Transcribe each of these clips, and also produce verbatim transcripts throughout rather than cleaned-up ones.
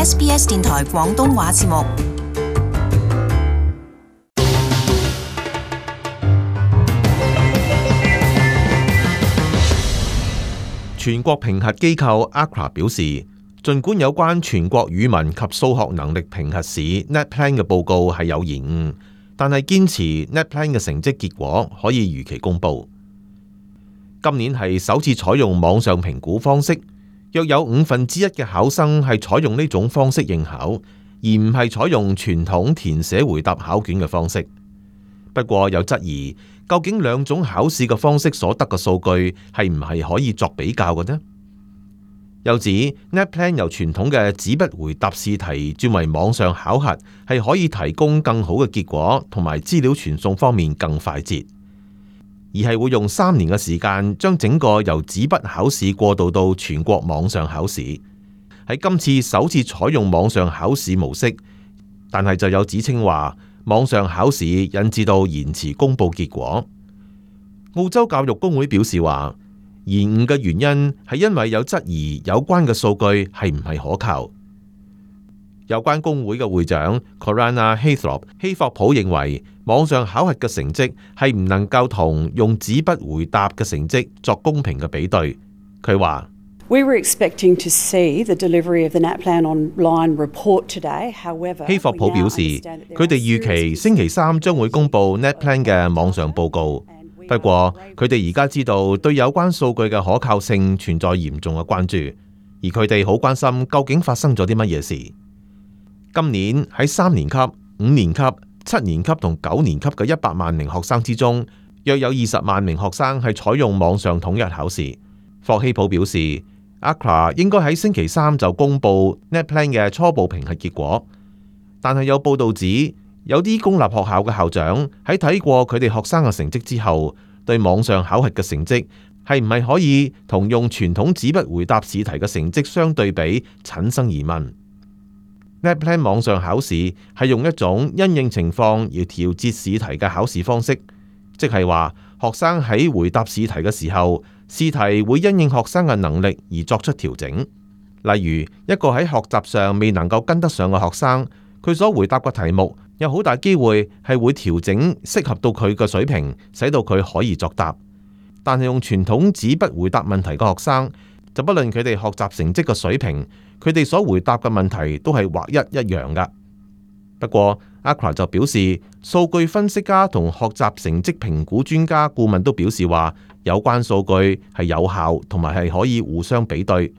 S B S 電台廣東話節目。全國評核機構 A C R A 表示，儘管有關全國語文及數學能力評核試 NAPLAN 嘅報告係有延誤，但係堅持 NAPLAN 嘅成績結果可以如期公佈。今年係首次採用網上評估方式，約有五分之一嘅考生係採用呢種方式應考，而唔係採用傳統填寫回答考卷嘅方式。不過有質疑，究竟兩種考試嘅方式所得嘅數據係唔係可以作比較嘅呢？又指 NAPLAN 由傳統嘅紙筆回答試題轉為網上考核，係可以提供更好嘅結果，同埋資料傳送方面更快捷。而係會用三年嘅時間，將整個由紙筆考試過渡到全國網上考試。喺今次首次採用網上考試模式，但係就有指稱話網上考試引致到延遲公佈結果。澳洲教育工會表示話，延誤嘅原因係因為有質疑有關嘅數據係唔係可靠。有關工會嘅會長 Corana Haythrop 希霍普認為，網上考核嘅成績係唔能夠同用紙筆回答嘅成績作公平嘅比對。佢話：We were expecting to see the delivery of the NAPLAN online report today. However， 希霍普表示，佢哋預期星期三將會公佈 NAPLAN 嘅網上報告。不過，佢哋而家知道對有關數據嘅可靠性存在嚴重嘅關注，而佢哋好關心究竟發生咗啲乜嘢事。今年喺三年級、五年級、七年級同九年級嘅一百萬名學生之中，約有二十萬名學生係採用網上統一考試。霍希普表示 ，A C R A 應該喺星期三就公佈 NAPLAN 嘅初步評核結果，但係有報道指，有啲公立學校嘅校長喺睇過佢哋學生嘅成績之後，對網上考核嘅成績係唔係可以同用傳統紙筆回答試題嘅成績相對比，產生疑問。NAPLAN 網上考試係用一種因應情況而調節試題嘅考試方式，即係話學生喺回答試題嘅時候，試題會因應學生嘅能力而作出調整。例如，一個喺學習上未能夠跟得上嘅學生，佢所回答嘅題目有好大機會係會調整適合到佢嘅水平，使到佢可以作答。但係用傳統紙筆回答問題嘅學生，就不論佢哋學習成績嘅水平，佢哋所回答嘅問題都係劃一一樣噶。不過 A C R A 就表示，數據分析家同學習成績評估專家顧問都表示話，有關數據係有效同埋係可以互相比對。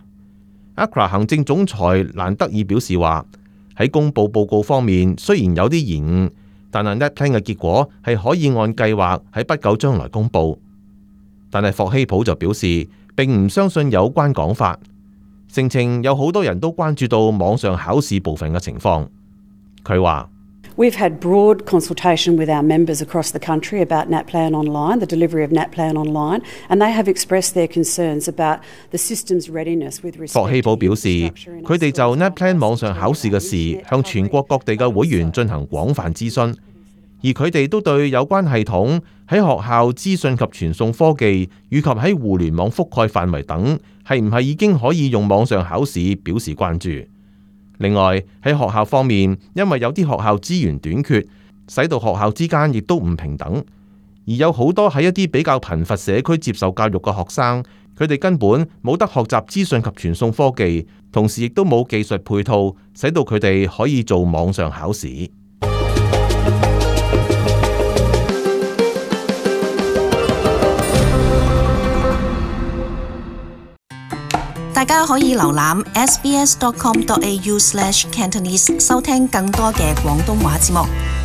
A C R A 行政總裁蘭德爾表示話，喺公佈報告方面雖然有啲延誤，但係 NAPLAN 嘅結果係可以按計劃喺不久將來公佈。但係霍希普就表示，並唔相信有關講法，聲稱有好多人都關注到網上考試部分嘅情況。佢話：We've had broad consultation with our members across the country about NAPLAN online, the delivery of NAPLAN online, and they have expressed their concerns about the system's readiness with respect to。霍希普表示，佢哋就 NAPLAN 網上考試嘅事向全國各地嘅會員進行廣泛諮詢，而佢哋都對有關系統喺學校資訊及傳送科技以及喺互聯網覆蓋範圍等係唔係已經可以用網上考試表示關注。另外喺學校方面，因為有啲學校資源短缺，使到學校之間亦都唔平等，而有好多喺一啲比較貧乏社區接受教育嘅學生，佢哋根本冇得學習資訊及傳送科技，同時亦都冇技術配套，使到佢哋可以做網上考試。大家可以瀏覽 s b s dot com dot a u slash cantonese 收聽更多嘅廣東話節目。